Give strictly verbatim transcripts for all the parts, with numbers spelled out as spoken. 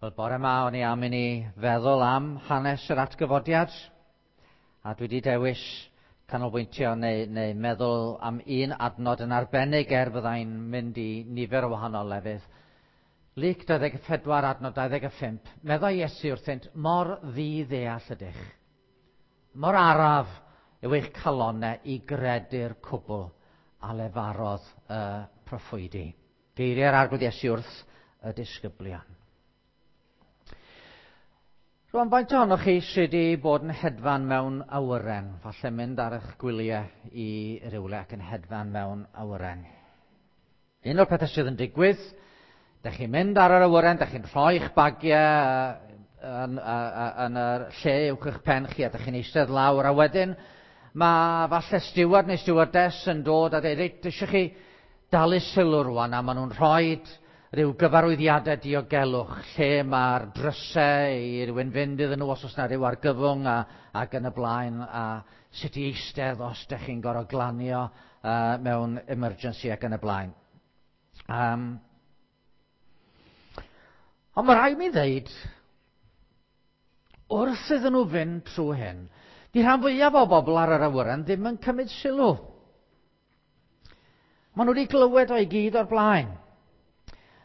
Wel, bore yma o'n i am i ni feddwl am hanes yr atgyfodiad, a dwi wedi dewis canolbwyntio neu, neu meddwl am un adnod yn arbennig er fyddai'n mynd i nifer o wahanol lefydd. Luc dau ddeg pedwar adnod dau ddeg pump, meddai Iesu wrthynt, mor ddi-ddeall ydych, mor araf yw eich calonnau i gredu'r cwbl a lefarodd y proffwydi. Geiriau'r Arglwydd Iesu wrth y disgyblion. Rwan, faint ohonoch chi sydd wedi bod yn hedfan mewn awyren? Falle mynd ar eich gwyliau i rywle ac yn hedfan mewn awyren. Un o'r pethau sydd yn digwydd, dych chi'n mynd ar yr awyren, dych chi'n rhoi'ch bagiau yn, yn, yn yr lle uwch eich pen chi a dych chi'n eistedd lawr, a wedyn mae falle steward neu stewardess yn dod a dweud, reit, eisiau chi dalu sylw rwan, a maen nhw'n rhoi rhyw gyfarwyddiadau diogelwch lle mae'r drysau i rywun fynd iddyn nhw os oes na rhyw argyfwng a, ac yn y blaen, a sut i eistedd os ydych chi'n gorfod glanio uh, mewn emergency ac yn y blaen. Um, ond mae rhaid mi ddeud, wrth iddyn nhw fynd trwy hyn, di rhan fwyaf o bobl ar yr awyren ddim yn cymryd sylw. Maen nhw wedi glywed o'i gyd o'r blaen.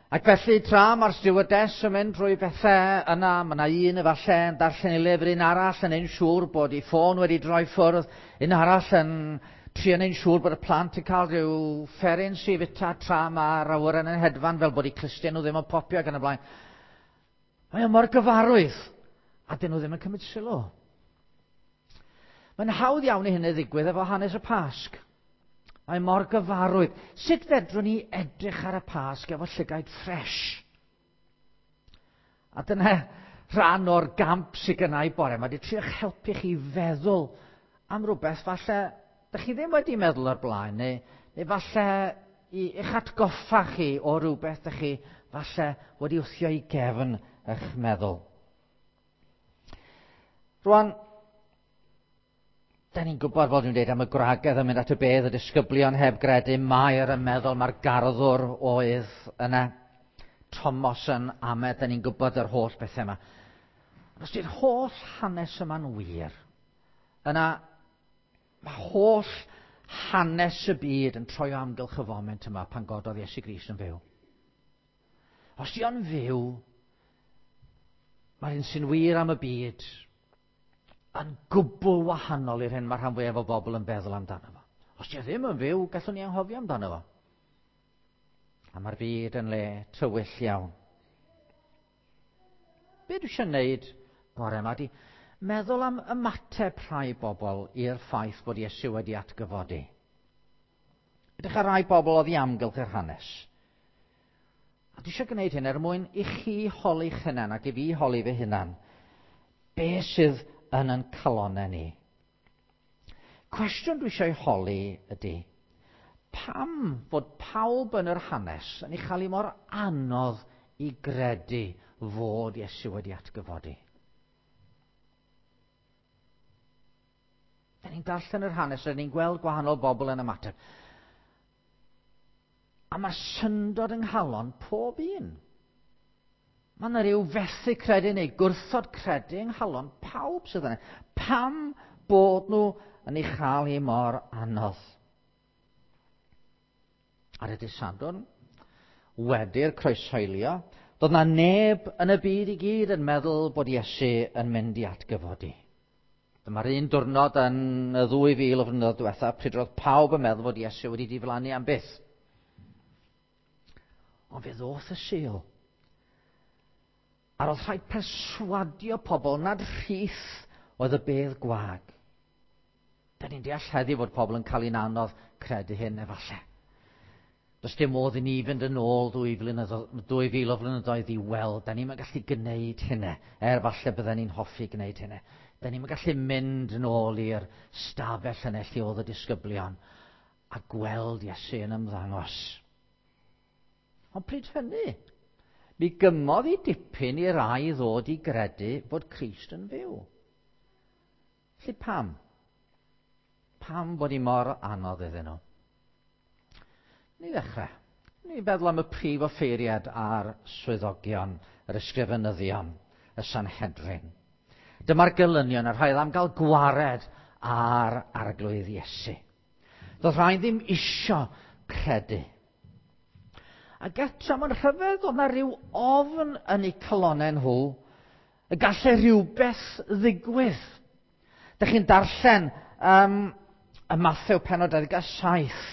Ac felly, tra mae'r stewardess yn mynd drwy bethau yna, mae yna un efallai yn darllen ei lyfr, un arall yn ein siŵr bod ei ffôn wedi droi ffwrdd, un arall yn trio neud siŵr bod y plant yn cael rhyw fferin sy'n fita tra mae'r awyren yn hedfan fel bod eu clustiau nhw ddim yn popio ac yn y blaen. Mae o mor gyfarwydd, a dyn nhw ddim yn cymryd sylw. Mae'n hawdd iawn i hynny ddigwydd efo hanes y Pasg. Mae mor gyfarwydd. Sut fedrwn ni edrych ar y Pasg efo llygaid ffres? A dyna rhan o'r gamp sydd gynna i bore. Mae wedi trio'ch helpu chi feddwl am rhywbeth falle dych chi ddim wedi meddwl o'r blaen, neu, neu falle i eich atgoffa chi o rhywbeth dych chi falle wedi wthio i gefn eich meddwl. Rwan, da ni'n gwybod, fel dwi'n dweud, am y gwragedd yn mynd at y bedd, y disgyblion heb gredu, Mair yn meddwl mae'r garddwr oedd yna, Tomos yn amed, da ni'n gwybod yr holl bethau yma. Os di'r holl hanes yma'n wir, yna mae holl hanes y byd yn troi o amgylch y foment yma pan gododd Iesu Grist yn fyw. Os di o'n fyw, mae'r un sy'n wir am y byd yn gwbl wahanol i'r hyn mae rhan fwyaf o bobl yn feddwl amdano fo. Os di o ddim yn fyw, gallwn ni anghofio amdano fo. A mae'r byd yn le tywyll iawn. Be dwi eisiau gwneud bore yma di meddwl am ymateb rhai bobl i'r ffaith bod Iesu wedi atgyfodi. Edrych ar rai bobl oedd i amgylch yr hanes. A dwi eisiau gwneud hyn er mwyn i chi holi'ch hunan ac i fi holi fy hunan. Be sydd yn yn calonnau ni? Cwestiwn dwi eisiau holi ydy, pam fod pawb yn yr hanes yn ei chael ei mor anodd i gredu fod Iesu wedi atgyfodi? Da ni'n darllen yr hanes, da ni'n gweld gwahanol bobl yn ymateb. A mae syndod yng nghalon pob un. Mae yna rhyw fethu credu neu gwrthod credu yng nghalon pawb sydd yna. Pam bod nhw yn ei chael hi mor anodd? Ar y dydd Sadwrn, wedi'r croeshoelio, doedd na neb yn y byd i gyd yn meddwl bod Iesu yn mynd i atgyfodi. Dyma'r un diwrnod yn y ddwy fil o flynyddoedd diwetha, pryd roedd pawb yn meddwl bod Iesu wedi diflannu am byth. Ond fe ddoth y Sul. A roedd rhaid perswadio pobl nad rhith oedd y bedd gwag. Da ni'n deall heddiw fod pobl yn cael ein anodd credu hyn efallai. Does dim modd i ni fynd yn ôl dwy, dwy fil o flynyddoedd i weld. Da ni'n gallu gwneud hynny, er falle bydden ni'n hoffi gwneud hynny. Da ni'n gallu mynd yn ôl i'r stafell yna lle oedd y disgyblion a gweld Iesu yn ymddangos. Ond pryd hynny, mi gymodd i dipyn i rai ddod i gredu bod Crist yn fyw. Felly pam? Pam bod hi mor anodd iddyn nhw? Ni ddechrau. Ni'n feddwl am y prif offeiriad a'r swyddogion, yr ysgrifenyddion, y Sanhedrin. Dyma'r gelynion, y rhai am gael gwared ar arglwydd Iesu. Doedd rhai ddim isio credu. Ac eto, mae'n rhyfedd, oedd na rhyw ofn yn eu calonnau nhw y gallai rhywbeth ddigwydd. Dych chi'n darllen um, y Mathew pennod dau ddeg saith,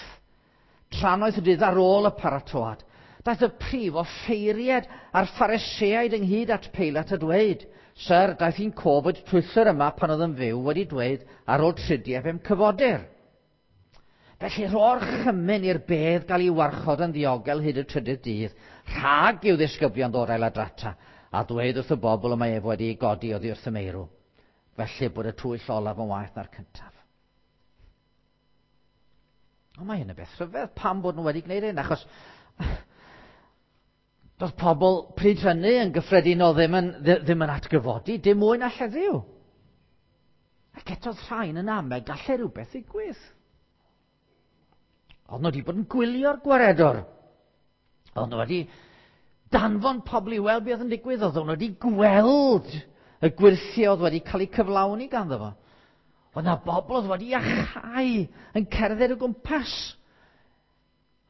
trannoeth y dydd ar ôl y paratoad. Daeth y prif offeiriad a'r Phariseaid ynghyd at Peilat a dweud, Syr, daeth i'n cof fod twyllwr yma pan oedd yn fyw wedi dweud ar ôl tridiau fe'm cyfodir. Felly rho'r chymyn i'r bedd gael ei warchod yn ddiogel hyd y trydydd dydd, rhag i'w ddisgyblion ddod a'i ladrata, a dweud wrth y bobl y mae ef wedi ei godi oddi wrth y meirw. Felly bod y twyll olaf yn waeth na'r cyntaf. Ond mae hyn yn beth rhyfedd pam bod nhw wedi gwneud hyn, achos doedd pobl pryd hynny yn gyffredinol ddim yn, ddim yn atgyfodi, dim mwy na heddiw. Ac eto rhain yn amau gallai rhywbeth ddigwydd. Oedd nhw wedi bod yn gwylio'r gwaredwr. Oedd nhw wedi danfon pobl i weld beth oedd yn digwydd. Oedd nhw wedi gweld y gwyrthiau oedd wedi cael eu cyflawni ganddo fo. Oedd yna bobl oedd wedi iachau yn cerdded o gwmpas.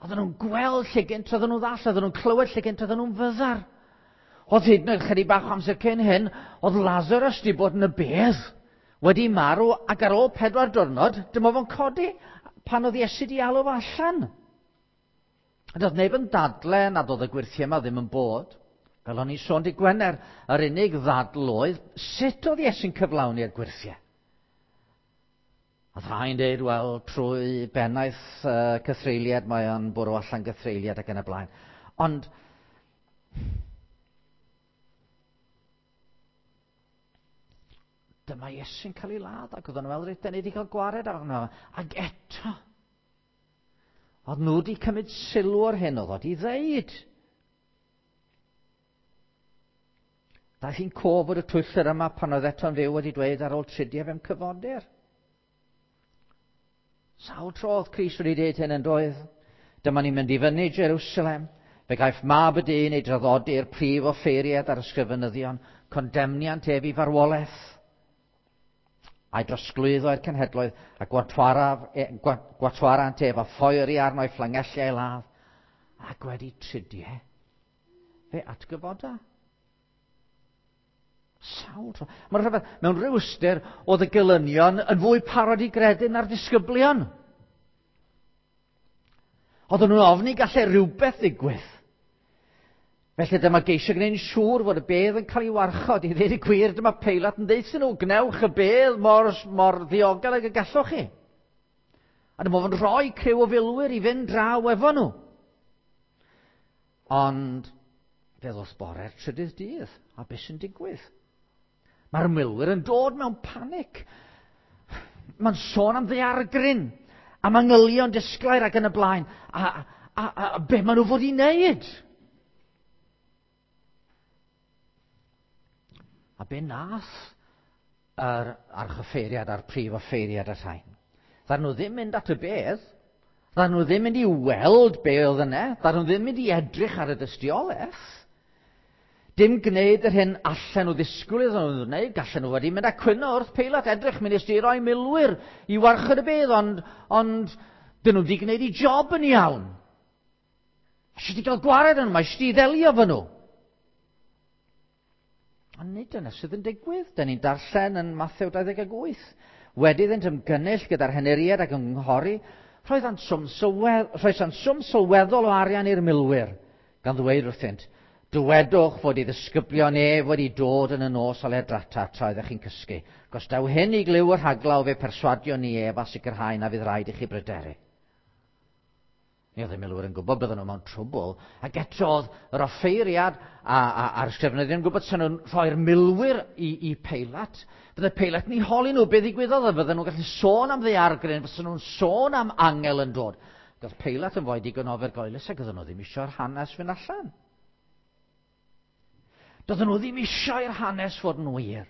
Oedden nhw'n gweld lle gynt oedden nhw'n ddall, oedden nhw'n clywed lle gynt oedden nhw'n fyddar. Oedd hyd yn oed chydig bach o amser cyn hyn, oedd Lazarus wedi bod yn y bedd, wedi marw, ac ar ôl pedwar diwrnod, dyma fo'n codi pan oedd Iesu wedi alw fo allan. A doedd neb yn dadle nad oedd y gwyrthiau yma ddim yn bod. Fel o'n i'n sôn dydd Gwener, yr unig ddadl oedd sut oedd Iesu'n cyflawni'r gwyrthiau. A rhai'n dweud, wel, trwy bennaeth uh, cythreuliad, mae o'n bwrw allan gythreuliad ac yn y blaen. Ond dyma Iesu'n cael ei ladd, ac oedden nhw'n meddwl, reit, ni wedi cael gwared arno. Ac eto, oedd nhw wedi cymryd sylw o'r hyn oedd wedi ddeud. Daeth hi'n cof bod y twyllwr yma pan oedd eto'n fyw wedi dweud ar ôl tridiau fe'm cyfodir. Sawl tro oedd Crist wedi dweud hyn yn doedd? Dyma ni'n mynd i fyny Jerusalem. Fe gaiff mab y dyn ei draddodi i'r prif offeiriad a'r ysgrifenyddion, condemniant ef i farwolaeth, a'i drosglwyddo i'r cenhedloedd, a gwatwarant ef a phoeri arno ei fflangelliau ei ladd, ac wedi tridiau, fe atgyfoda. Sawl tro. Mae'n rhyfedd, mewn rhyw ystyr, oedd y gelynion yn fwy parod i gredu na'r disgyblion. Oedden nhw'n ofni gallai rhywbeth ddigwydd. Felly dyma geisio gwneud yn siŵr fod y bedd yn cael ei warchod. I ddweud y gwir, dyma Peilat yn deud nhw, gnewch y bedd mor, mor ddiogel ag y gallwch chi. A dyma fo'n rhoi criw o filwyr i fynd draw efo nhw. Ond fe ddoth bore'r trydydd dydd, a beth sy'n digwydd? Mae'r milwyr yn dod mewn panic. Mae'n sôn am ddaeargryn, am angylion disglair ac yn y blaen. A, a, a, a be maen nhw fod i wneud? A be nath yr archoffeiriad a'r prif offeiriad a'r rhain? Ddaru nhw ddim mynd at y bedd, ddaru nhw ddim mynd i weld be oedd yna, ddaru nhw ddim mynd i edrych ar y dystiolaeth. Dim gwneud yr hyn allan nhw ddisgwyl iddyn nhw wneud, gallen nhw wedi mynd a cwyno wrth Peilat, edrych, mi nes di roi milwyr i warchod y bedd, ond, ond dyn nhw wedi gwneud eu job yn iawn. Eisiau di gael gwared yn nhw, mae eisiau di ddelio fo nhw. Ond nid dyna sydd yn digwydd. Dyn ni'n darllen yn Mathew dau ddeg wyth. Wedi iddynt ymgynnull gyda'r henuriad ac ymgynghori, roedd swm sylwedd, rhoesant swm sylweddol o arian i'r milwyr, gan ddweud wrthynt, dywedwch fod ei ddisgyblion ef wedi dod yn y nos a ledrata tra oeddech chi'n cysgu. Os daw hyn i glyw y rhaglaw fe perswadio ni ef a sicrhau na fydd rhaid i chi bryderu. Ni oedd y milwyr yn gwybod bydden nhw mewn trwbl, ac eto oedd yr offeiriad a, a, a'r ysgrifenyddion yn gwybod sy'n nhw'n rhoi'r milwyr i, i Peilat. Bydde Peilat yn eu holi nhw beth ddigwyddodd, a fydden nhw'n gallu sôn am ddaeargryn, fysen nhw'n sôn am angel yn dod. Ac oedd Peilat yn fwy digon ofergoelus ac oedden nhw ddim eisiau'r hanes fynd allan. Doedden nhw ddim eisiau i'r hanes fod yn wir.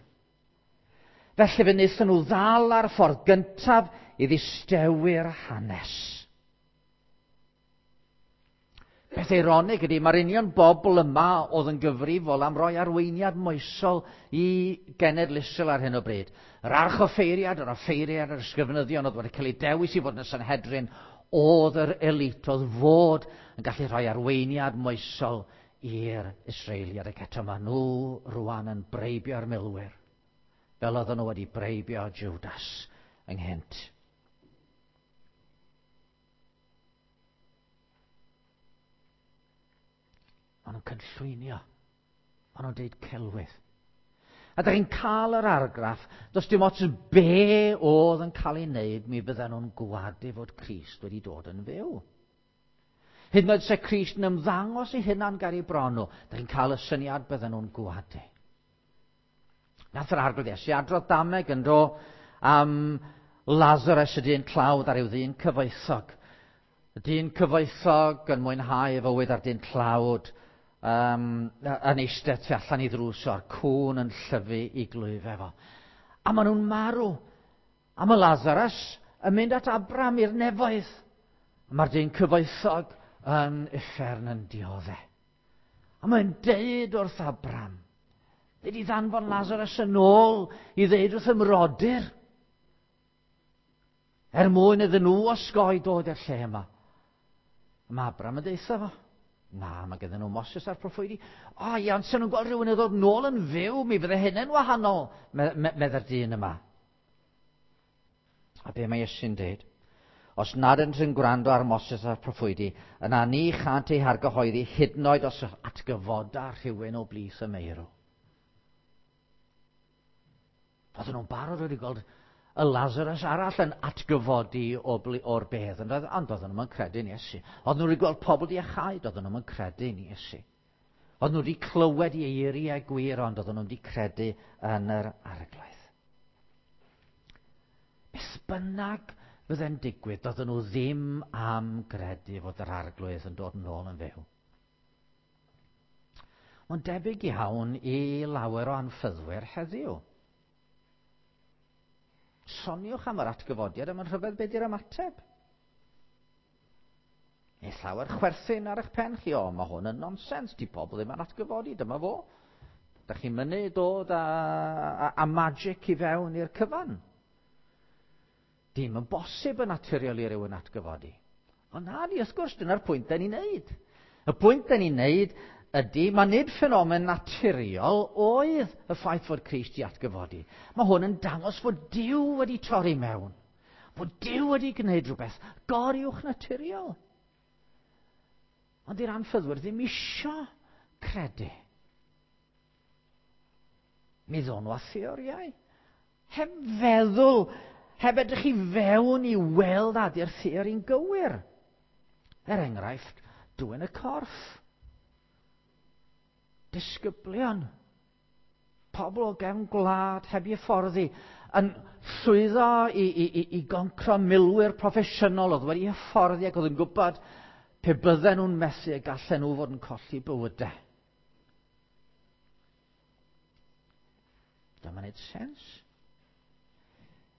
Felly fe wnaethon nhw ddal ar y ffordd gyntaf i ddistewi'r hanes. Peth eironig ydy, mae'r union bobl yma oedd yn gyfrifol am roi arweiniad moesol i genedl Israel ar hyn o bryd. Yr archoffeiriad, yr offeiriad, yr ysgrifenyddion oedd wedi cael eu dewis i fod yn y Sanhedrin, oedd yr elit, oedd fod yn gallu rhoi arweiniad moesol i'r Israeliad. Ac eto maen nhw rwan yn breibio'r milwyr, fel oedden nhw wedi breibio Judas ynghynt. Maen nhw'n cynllwynio. Maen nhw'n deud celwydd. A da chi'n cael yr argraff, does dim ots be oedd yn cael ei wneud, mi fydden nhw'n gwadu fod Crist wedi dod yn fyw. Hyd yn oed se Crist yn ymddangos ei hunan ger eu bron nhw, da chi'n cael y syniad bydden nhw'n gwadu. Nath yr Arglwydd Iesu adrodd dameg yn do am Lazarus, y dyn tlawd, ar yw ddyn cyfoethog. Y dyn cyfoethog yn mwynhau ei fywyd a'r dyn tlawd um, yn eistedd tu allan i ddrws o'r cŵn yn llyfu i glwyf efo. A maen nhw'n marw. A mae Lazarus yn mynd at Abram i'r nefoedd. A mae'r dyn cyfoethog yn uffern yn dioddef. A mae'n deud wrth Abram, ddeud i ddanfon Lazarus yn ôl i ddeud wrth ymrodyr, er mwyn iddyn nhw osgoi dod i'r lle yma. A mae Abram yn deutha fo, na, mae gyda nhw Moses a'r proffwydi. O, ia, ond sen nhw'n gweld rhywun yn ddod nôl yn fyw, mi fydde hynny'n wahanol, medda'r dyn yma. A be mae Iesu'n deud? Os nad ydynt yn gwrando ar Moses a'r proffwydi, yna ni chant eu hargyhoeddi hyd yn oed os atgyfoda rhywun o blith y meirw. Oedden nhw'n barod wedi gweld y Lazarus arall yn atgyfodi o bli, o'r bedd, ond oedden nhw'n credu'n Iesu. Oedden nhw wedi gweld pobl di iachau, oedden nhw'n credu'n Iesu. Oedden nhw wedi clywed i eiriau gwir, ond oedden nhw wedi credu yn yr Arglwydd. Beth bynnag fydde'n digwydd, doedden nhw ddim am gredu fod yr Arglwydd yn dod yn ôl yn fyw. Mae'n debyg iawn i lawer o anffyddwyr heddiw. Soniwch am yr atgyfodiad, a mae'n rhyfedd beth yw'r ymateb. Neu llawer chwerthin ar eich pen chi, o, mae hwn yn nonsens, di pobl ddim yn atgyfodi, dyma fo. Da chi'n mynnu dod â, a, a magic i fewn i'r cyfan. Dim yn bosib yn naturiol i rywun atgyfodi. Ond na ni, wrth gwrs, dyna'r pwynt da ni'n neud. Y pwynt da ni'n neud ydy, mae nid ffenomen naturiol oedd y ffaith fod Crist i atgyfodi. Mae hwn yn dangos fod Duw wedi torri mewn. Fod Duw wedi gwneud rhywbeth goruwch naturiol. Ond i'r anffyddwyr ddim isio credu. Mi ddon nhw â theoriau. Heb feddwl, heb edrych i fewn i weld ydy'r theori'n gywir. Er enghraifft, dwyn y corff. Disgyblion, pobl o gefn gwlad heb eu hyfforddi, yn llwyddo i, i, i, i goncro milwyr proffesiynol oedd wedi hyfforddi ac oedd yn gwybod pe bydden nhw'n methu y gallen nhw fod yn colli bywydau. Dyma'n neud sens.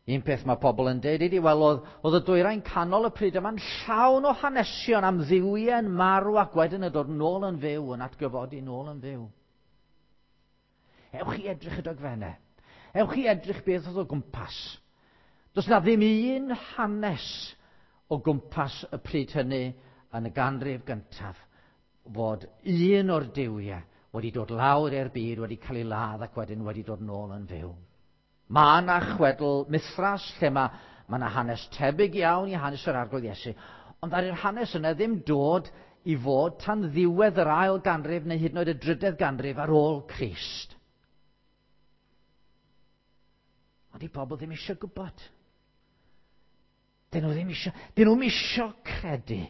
Un peth mae pobl yn deud ydy, wel, oedd, oedd y dwyrain canol y pryd yma'n llawn o hanesion am dduwiau'n marw ac wedyn yn dod nôl yn fyw, yn atgyfodi nôl yn fyw. Ewch i edrych y dogfennau. Ewch i edrych beth oedd o gwmpas. Does na ddim un hanes o gwmpas y pryd hynny yn y ganrif gyntaf fod un o'r duwiau wedi dod lawr i'r byd, wedi cael ei ladd ac wedyn wedi dod nôl yn fyw. Mae yna chwedl Mithras lle mae, mae yna hanes tebyg iawn i hanes yr Arglwydd Iesu, ond ar yr hanes yna ddim dod i fod tan ddiwedd yr ail ganrif neu hyd yn oed y drydedd ganrif ar ôl Crist. Ond i pobl ddim eisiau gwybod. Dyn nhw ddim eisiau, dyn nhw'm eisiau credu.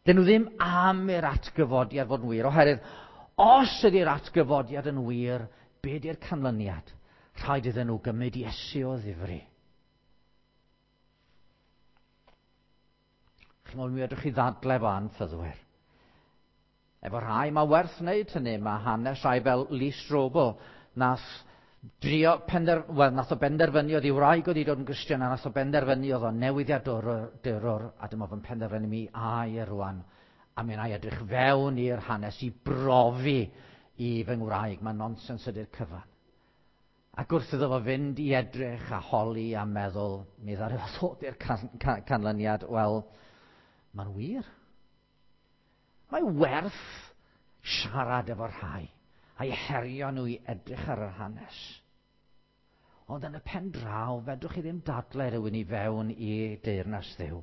Dyn nhw ddim am i'r atgyfodiad fod yn wir, oherwydd os ydy'r atgyfodiad yn wir, be ydy'r canlyniad? Rhaid iddyn nhw gymryd Iesu o ddifri. Chi'n mi fedrwch chi ddadle efo anffyddwyr. Efo rhai mae werth wneud hynny, mae hanes rhai fel Lee Strobel, nath drio pender, well, nath o benderfynu oedd ei wraig oedd i dod yn Gristion, a nath o benderfynu oedd o'n newyddiadurwr, a dyma fo'n penderfynu mi ai e rwan A mi wna i edrych fewn i'r hanes i brofi i fy ngwraig. Mae nonsens ydy'r cyfan. Ac wrth iddo fo fynd i edrych a holi a meddwl, mi ddaru fo ddod i'r can can canlyniad, wel, mae'n wir. Mae werth siarad efo rhai a'i herio nhw i edrych ar yr hanes. Ond yn y pen draw, fedrwch chi ddim dadle rhywun i fewn i deyrnas Dduw.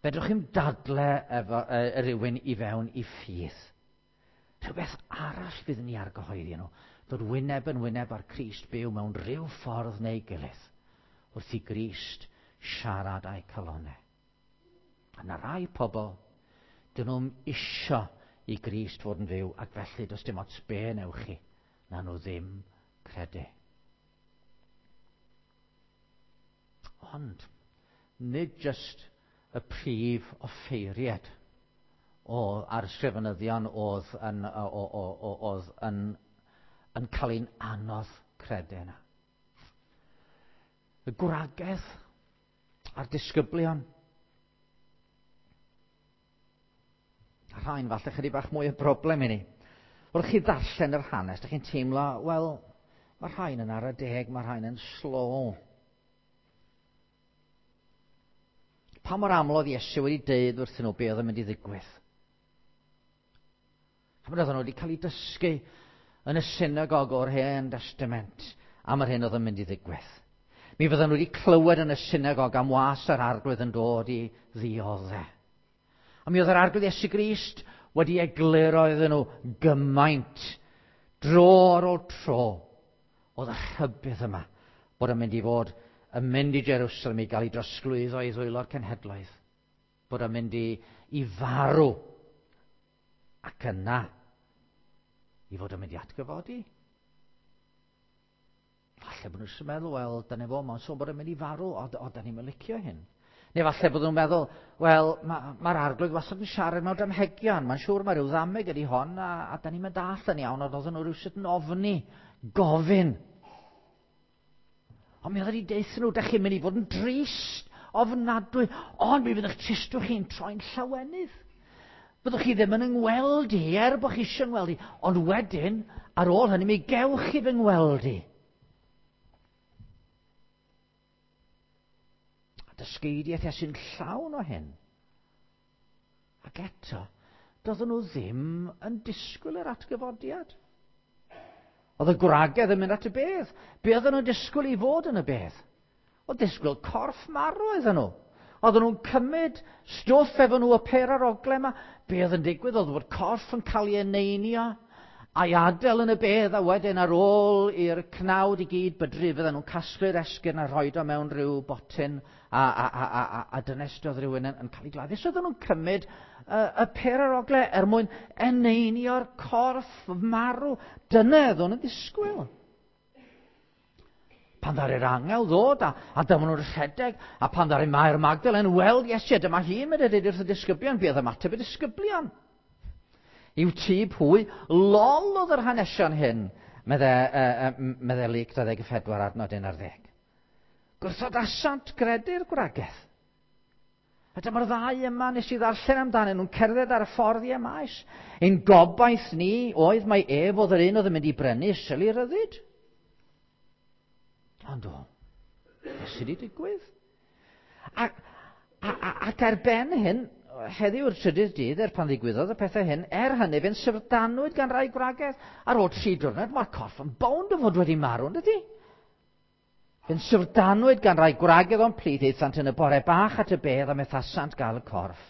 Fedrwch chi'm dadle efo, e, rhywun i fewn i ffydd. Rhywbeth arall fydd ni argyhoeddi nhw. Dod wyneb yn wyneb ar Crist byw mewn rhyw ffordd neu gilydd. Wrth i Grist siarad â'u calonnau. A na rai pobl, dyn nhw'n isio i Grist fod yn fyw, ac felly does dim ots be newch chi, na nhw ddim credu. Ond, nid jyst y prif offeiriad o, a'r ysgrifenyddion oedd yn, o, o, o, oedd yn, yn cael ein anodd credu yna. Y gwragedd a'r disgyblion. A rhain falle chydig bach mwy o broblem i ni. Wrth chi ddarllen yr hanes, dych chi'n teimlo, wel, mae rhain yn ara deg, mae rhain yn slow. Pa mor aml oedd Iesu wedi deud wrthyn nhw be oedd yn mynd i ddigwydd? A oedden nhw wedi cael eu dysgu yn y synagog o'r Hen Testament am yr hyn oedd yn mynd i ddigwydd. Mi fydden nhw wedi clywed yn y synagog am was yr Arglwydd yn dod i ddioddef. A mi oedd yr Arglwydd Iesu Grist wedi egluro iddyn nhw gymaint dro ar ôl tro oedd y rhybudd yma bod yn mynd i fod yn mynd i Jerusalem i gael ei drosglwyddo i ddwylo'r cenhedloedd, bod yn mynd i, i farw ac yna i fod yn mynd i atgyfodi. Falle bod nhw'n meddwl, wel, dyna fo, mae'n sôn bod yn mynd i farw, o, o da ni'n licio hyn. Neu falle bod nhw'n meddwl, wel, mae'r ma Arglwydd wastad yn siarad mewn damhegion, mae'n siŵr mae rhyw ddameg ydi hon, a, a da ni'n mynd all yn iawn, ond oedden nhw rhywsut yn ofni, gofyn. Ond mi oedd wedi deutha nhw, da chi'n mynd i fod yn drist, ofnadwy, ond mi fydd eich tristwch chi'n troi'n llawenydd. Byddwch chi ddim yn yngweld i, er bod chi eisiau ngweld i, ond wedyn, ar ôl hynny, mi gewch chi fy ngweld i. A dysgeidiaeth Iesu'n llawn o hyn. Ac eto, doedden nhw ddim yn disgwyl yr atgyfodiad. Oedd y gwragedd yn mynd at y bedd. Be oedden nhw'n disgwyl i fod yn y bedd? Oedd disgwyl corff marw oedden nhw. Oedden nhw'n cymryd stwff efo nhw y per ar ogle yma. Be oedd yn digwydd? Oedd bod corff yn cael ei eneinio a'i adael yn y bedd, a wedyn ar ôl i'r cnawd i gyd bydru, fydden nhw'n casglu'r esgyrn a rhoi o mewn rhyw botyn a, a, a, a, a, a dynestodd rhywun yn, yn cael ei gladdu. So oedden nhw'n cymryd y, y per ar ogle er mwyn eneinio'r corff marw. Dyna oedden nhw'n ddisgwyl. Pan ddaru'r angel ddod a, a dyma nhw'n rhedeg, a pan ddaru Mair Magdalen weld Iesu, dyma hi'n mynd i ddeud wrth y disgyblion, be oedd ymateb y disgyblion? I'w tŷ pwy, lol oedd yr hanesion hyn, medde, uh, medde Luc dau ddeg pedwar adnod un ar ddeg. Gwrthodasant gredu'r gwragedd. A dyma'r ddau yma nes i ddarllen amdanyn nhw'n cerdded ar y ffordd i Emaus. Ein gobaith ni oedd mai ef oedd yr un oedd yn mynd i brynu Israel i ryddid. Ond o, beth sydd wedi digwydd? A, a, a, ac ar ben hyn, heddiw yw'r trydydd dydd er pan ddigwyddodd y pethau hyn, er hynny fe'n syfrdanwyd gan rai gwragedd. Ar ôl tri diwrnod, mae'r corff yn bownd o fod wedi marw, yn dydi? Fe'n syfrdanwyd gan rai gwragedd o'n plith, aethant yn y bore bach at y bedd a methasant gael y corff,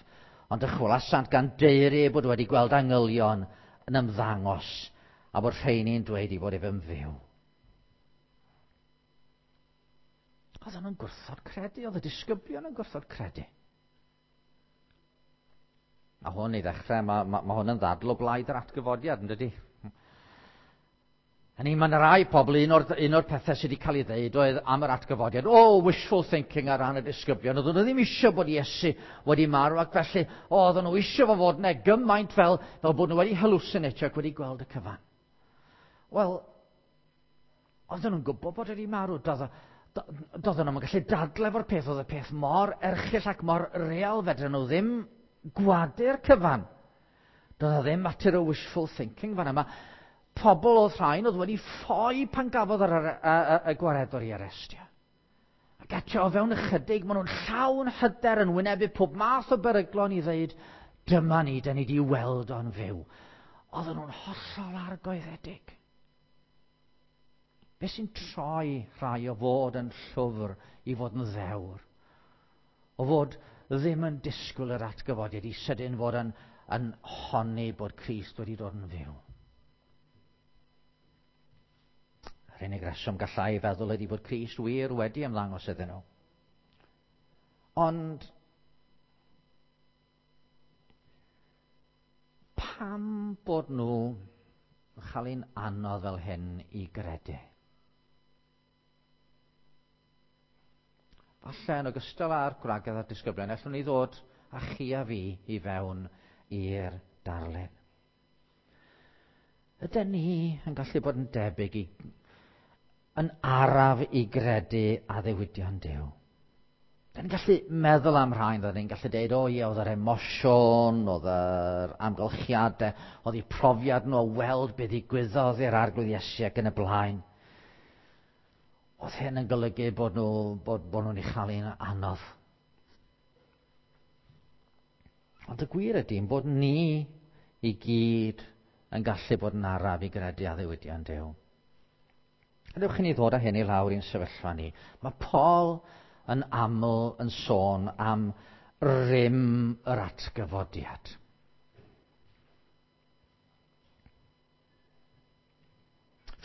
ond dychwelasant gan deiri eu bod wedi gweld angylion yn ymddangos a bod rheini'n dweud i fod ef yn fyw. Oedden nhw'n gwrthod credu, oedd y disgyblion yn gwrthod credu. A hwn i ddechrau, mae, mae, mae hwn yn ddadl o blaid yr atgyfodiad, yn dydi? Hynny, mae yna rai pobl, un o'r, un o'r pethau sydd wedi cael ei ddeud oedd am yr atgyfodiad, o, oh, wishful thinking ar ran y disgyblion, oedden nhw ddim eisiau bod Iesu wedi marw, ac felly, o, oedden nhw eisiau fo fod yna gymaint fel, fel bod nhw wedi hallucinatio ac wedi gweld y cyfan. Wel, oedden nhw'n gwybod bod wedi marw, doedd doedden nhw'n gallu dadle efo'r peth, oedd y peth mor erchyll ac mor real, fedren nhw ddim gwadu'r cyfan. Doedd o ddim mater o wishful thinking fan yma. Pobl oedd rhain oedd wedi ffoi pan gafodd yr, y, y, y gwaredwr i arestio. Ac eto o fewn ychydig, maen nhw'n llawn hyder yn wynebu pob math o beryglon i ddweud, dyma ni, da ni wedi weld o'n fyw. Oedden nhw'n hollol argoeddedig. Be sy'n troi rhai o fod yn llwfr i fod yn ddewr? O fod ddim yn disgwyl yr atgyfodiad i sydyn fod yn, yn honni bod Crist wedi dod yn fyw. Yr unig reswm gallai feddwl ydy bod Crist wir wedi ymddangos iddyn nhw. Ond pam bod nhw yn cael ein anodd fel hyn i gredu? Falle yn ogystal â'r gwragedd a'r disgyblion, allwn ni ddod â chi a fi i fewn i'r darlun. Ydyn ni yn gallu bod yn debyg i, yn araf i gredu addewidion Duw? Dyn ni'n gallu meddwl am rhain, dyn ni'n gallu deud, o ie, oedd yr emosiwn, oedd yr amgylchiadau, oedd eu profiad nhw o weld beth ddigwyddodd i'r Arglwydd Iesu ac yn y blaen. Oedd hyn yn golygu bod nhw, bod, bod nhw'n ei chael hi'n anodd. Ond y gwir ydy bod ni i gyd yn gallu bod yn araf i gredu addewidion Duw. Gadewch i ni ddod â hyn i lawr i'n sefyllfa ni. Mae Paul yn aml yn sôn am rym yr atgyfodiad.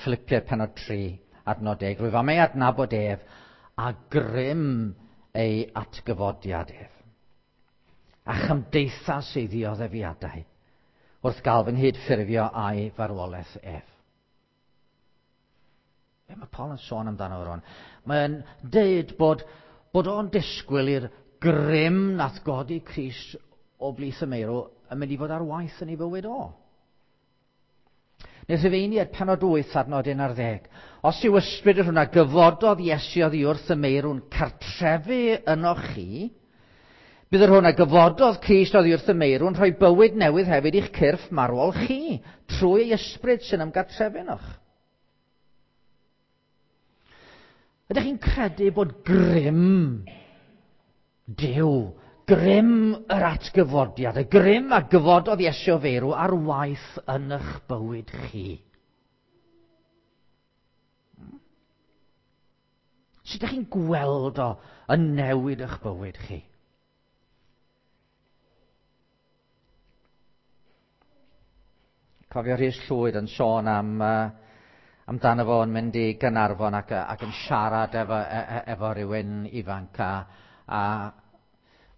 Philippiaid pennod tri, adnod deg. Rwyf am ei adnabod ef a grym ei atgyfodiad ef, a chymdeithas ei ddioddefiadau, wrth gael fy nghydffurfio a'i farwolaeth ef. Be mae Paul yn sôn amdano fo rŵan? Mae'n deud bod, bod o'n disgwyl i'r grym nath godi Crist o blith y meirw yn mynd i fod ar waith yn ei fywyd o. Neu Rhufeiniaid pennod wyth adnod un ar ddeg. Os yw ysbryd yr hwn a gyfododd Iesu oddi wrth y meirw'n cartrefu ynoch chi, bydd yr hwn a gyfododd Crist oddi wrth y meirw'n rhoi bywyd newydd hefyd i'ch cyrff marwol chi, trwy ei ysbryd sy'n ymgartrefu ynoch. Ydych chi'n credu bod grym Duw, grym yr atgyfodiad, y grym a gyfododd Iesu o feirw ar waith yn eich bywyd chi? Sut ydych chi'n gweld o yn newid eich bywyd chi? Cofio Rhys Llwyd yn sôn am uh, amdano fo yn mynd i Gaernarfon ac, ac yn siarad efo, efo rhywun ifanc a, a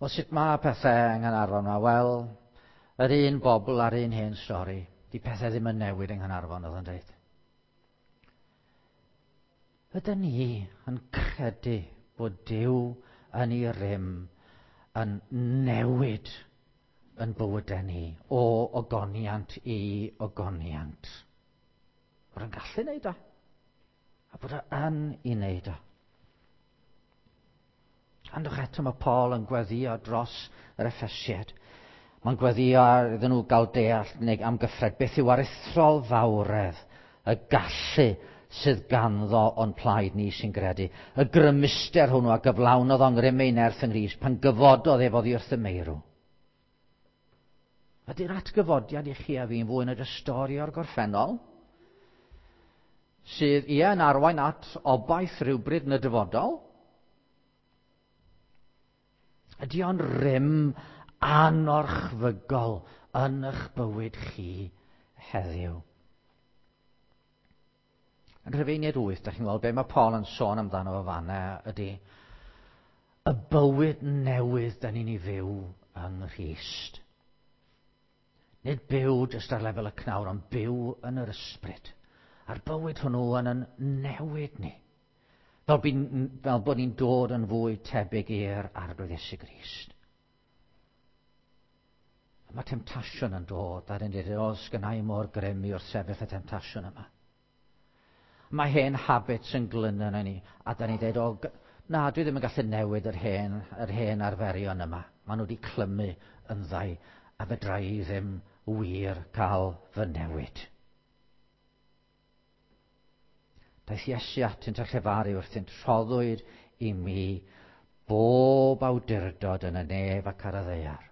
wel, sut mae pethau yng Nghaernarfon yma? Wel, yr un bobl a'r un hen stori. Di pethau ddim yn newid yng Nghaernarfon, oedd yn dweud. Ydyn ni yn credu bod Duw yn ei rym yn newid yn bywydau ni o ogoniant i ogoniant? Bod yn gallu wneud o, a bod o yn ei wneud o. Andwch eto mae Paul yn gweddio dros yr Effesiaid. Mae'n gweddio iddyn nhw gael deall neu amgyffred beth yw aruthrol fawredd y gallu sydd ganddo o'n plaid ni sy'n gredu. Y grymuster hwnnw a gyflawnodd o'n ngrym ei nerth yng Nghrist pan gyfododd ef oddi wrth y meirw. Ydy'r atgyfodiad i chi a fi'n fwy na jyst stori o'r gorffennol, sydd ie yn arwain at obaith rhywbryd yn y dyfodol? Ydy o'n rym anorchfygol yn eich bywyd chi heddiw? Yn Rhufeiniaid wyth, da chi'n gweld be mae Paul yn sôn amdano fo fanna ydy y bywyd newydd da ni'n ei fyw yng Nghrist. Nid byw jyst ar lefel y cnawd, ond byw yn yr ysbryd. A'r bywyd hwnnw yn yn newid ni. Fel, by, fel bod ni'n dod yn fwy tebyg i'r Arglwydd Iesu Grist. A mae temtasiwn yn dod, a dyn dweud, o, sgynna i mor grym i wrthsefyll y temtasiwn yma. Mae hen habits yn glynu yn ni, a da ni'n dweud, o, na, dwi ddim yn gallu newid yr hen, yr hen arferion yma. Maen nhw wedi clymu yn ddau a fedra i ddim wir cael fy newid. Daeth Iesu atynt a llefaru wrthynt, rhoddwyd i mi bob awdurdod yn y nef ac ar y ddaear.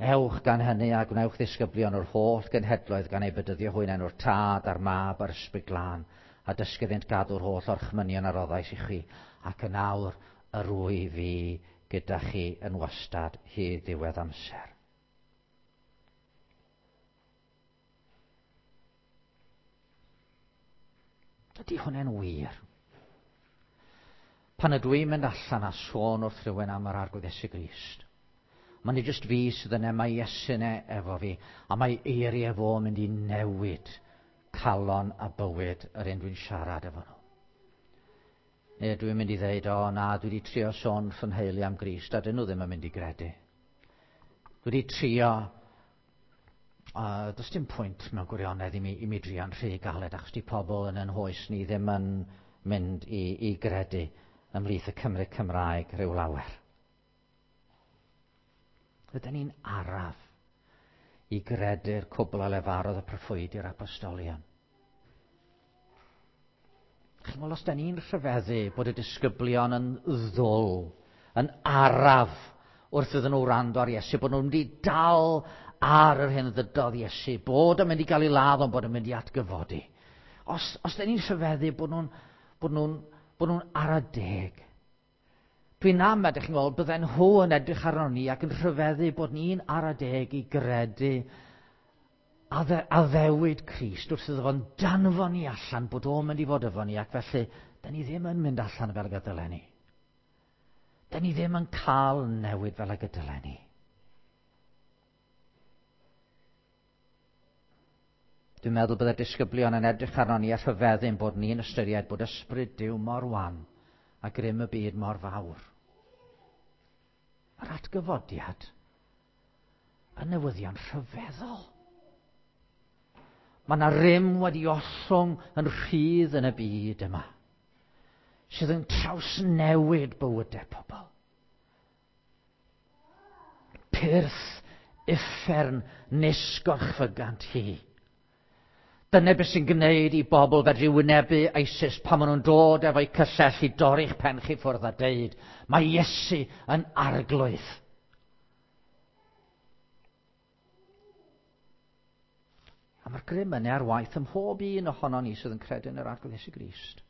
Ewch gan hynny a gwnewch ddisgyblion o'r holl genhedloedd gan eu bedyddio hwy yn enw'r Tad a'r Mab a'r Ysbryd Glân, a dysgu iddynt gadw'r holl orchmynion a roddais i chi, ac yn awr yr wyf fi gyda chi yn wastad hyd ddiwedd amser. Ydy hwnna'n wir? Pan ydw i'n mynd allan a sôn wrth rhywun am yr Arglwydd Iesu Grist, mae'n nid jyst fi sydd yna, mae Iesu yna efo fi, a mae eiriau fo yn mynd i newid calon a bywyd yr un dwi'n siarad efo nhw. Neu dwi'n mynd i ddeud, o na, dwi wedi trio sôn wrth fy nheulu am Grist, a dyn nhw ddim yn mynd i gredu. Dwi wedi trio, uh, does dim pwynt mewn gwirionedd i mi, i mi drio'n rhy galed, achos di pobl yn yn hoes ni ddim yn mynd i, i gredu ymhlith y Cymry Cymraeg rhyw lawer. Ydyn ni'n araf i gredu'r cwbl a lefarodd y proffwydi a'r apostolion. Chi'n gweld, os da ni'n rhyfeddu bod y disgyblion yn ddwl, yn araf wrth iddyn nhw wrando ar Iesu, bod nhw'n mynd i dal ar yr hyn ddydodd Iesu, bod yn mynd i gael ei ladd, ond bod yn mynd i atgyfodi. Os, os da ni'n rhyfeddu bod nhw'n bod nhw'n bod nhw'n ara deg, dwi'n am, ydych chi'n gweld, bydden nhw yn edrych arno ni ac yn rhyfeddu bod ni'n ara deg i gredu addewid Crist wrth iddo fo'n danfon ni allan, bod o'n mynd i fod efo ni, ac felly, da ni ddim yn mynd allan fel y gydylen ni. Da ni ddim yn cael newid fel y gydylen ni. Dwi'n meddwl byddai'r disgyblion yn edrych arno ni a rhyfeddu'n bod ni'n ystyried bod ysbryd Duw mor wan a grym y byd mor fawr. Mae'r atgyfodiad yn newyddion rhyfeddol. Mae yna rym wedi ollwng yn rhydd yn y byd yma, sydd yn trawsnewid bywydau pobl. Pyrth uffern nis gorchfygant hi. Dyna beth sy'n gwneud i bobl fedru wynebu ISIS pan maen nhw'n dod efo'u cyllell i dorri'ch pen chi ffwrdd a deud, mae Iesu yn arglwydd. A mae'r grym yna ar waith ym mhob un ohonon ni sydd yn credu yn yr Arglwydd Iesu Grist.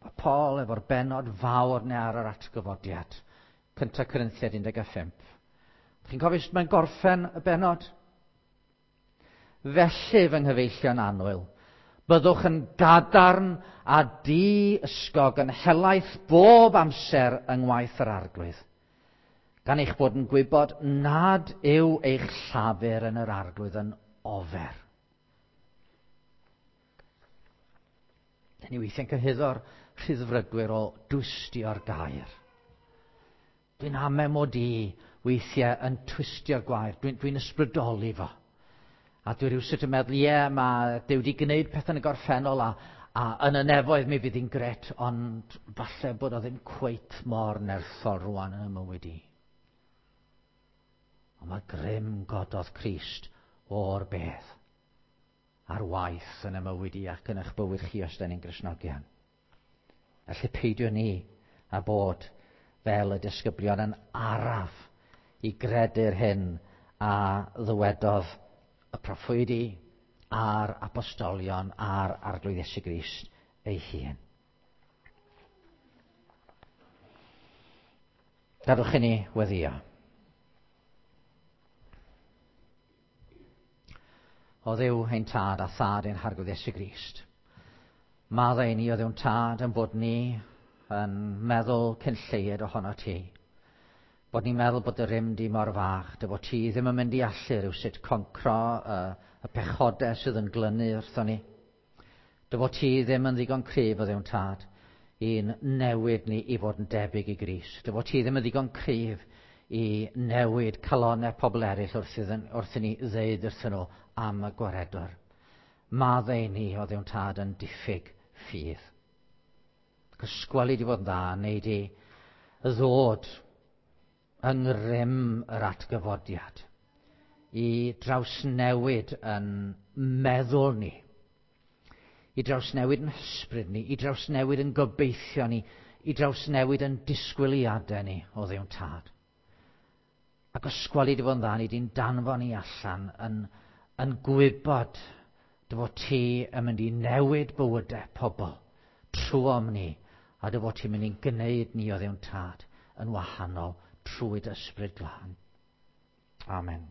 Mae Paul efo'r bennod fawr neu ar yr atgyfodiad. Cyntaf Corinthiaid un deg pump. Chi'n cofio sut mae'n gorffen y bennod? Felly, fy nghyfeillion annwyl, byddwch yn gadarn a di-ysgog yn helaeth bob amser yng ngwaith yr Arglwydd, gan eich bod yn gwybod nad yw eich llafur yn yr Arglwydd yn ofer. Dyn ni weithiau'n cyhuddo'r rhyddfrydwyr o dwystio'r gair. Dwi'n ame mod i weithiau yn twistio'r gwair, dwi'n dwi ysbrydoli fo. A dwi rhywsut yn meddwl, ie, yeah, mae Duw wedi gwneud pethau yn y gorffennol a, a yn y nefoedd mi fydd hi'n gret, ond falle bod o ddim cweit mor nerthol rwan yn y mywyd i. Ond mae grym gododd Crist o'r bedd ar waith yn y mywyd i ac yn eich bywyd chi os da ni'n Gristnogion. Felly peidio ni a bod fel y disgyblion yn araf i gredu'r hyn a ddywedodd y proffwydi a'r apostolion a'r Arglwydd Iesu Grist ei hun. Gadwch i ni weddïo. O Dduw ein Tad a Thad ein Harglwydd Iesu Grist, maddau ni o Dduw'n Tad yn bod ni yn meddwl cyn lleied ohono ti. Bod ni'n meddwl bod y rym di mor fach, dy fod ti ddim yn mynd i allu rhywsut concro y, y pechodau sydd yn glynu wrthon ni. Dy fod ti ddim yn ddigon cryf o Dduw'n Tad i'n newid ni i fod yn debyg i Grist. Dy fod ti ddim yn ddigon cryf i newid calonnau pobl eraill wrth, iddyn, wrth i ni ddeud wrthyn nhw am y gwaredwr. Maddau ni o Dduw'n Tad yn diffyg ffydd. Cysgweli di fod yn dda, neu di ddod yng ngrym yr atgyfodiad i drawsnewid yn meddwl ni, i drawsnewid yn hysbryd ni, i drawsnewid yn gobeithio ni, i drawsnewid yn disgwyliadau ni o Dduw'n Tad. Ac os gweli di fo'n dda, ni di'n danfon ni allan yn, yn gwybod dy fod ti yn mynd i newid bywydau pobl trwom ni, a dy fod ti'n mynd i'n gwneud ni o Dduw'n Tad yn wahanol trwy dy ysbryd glân. Amen.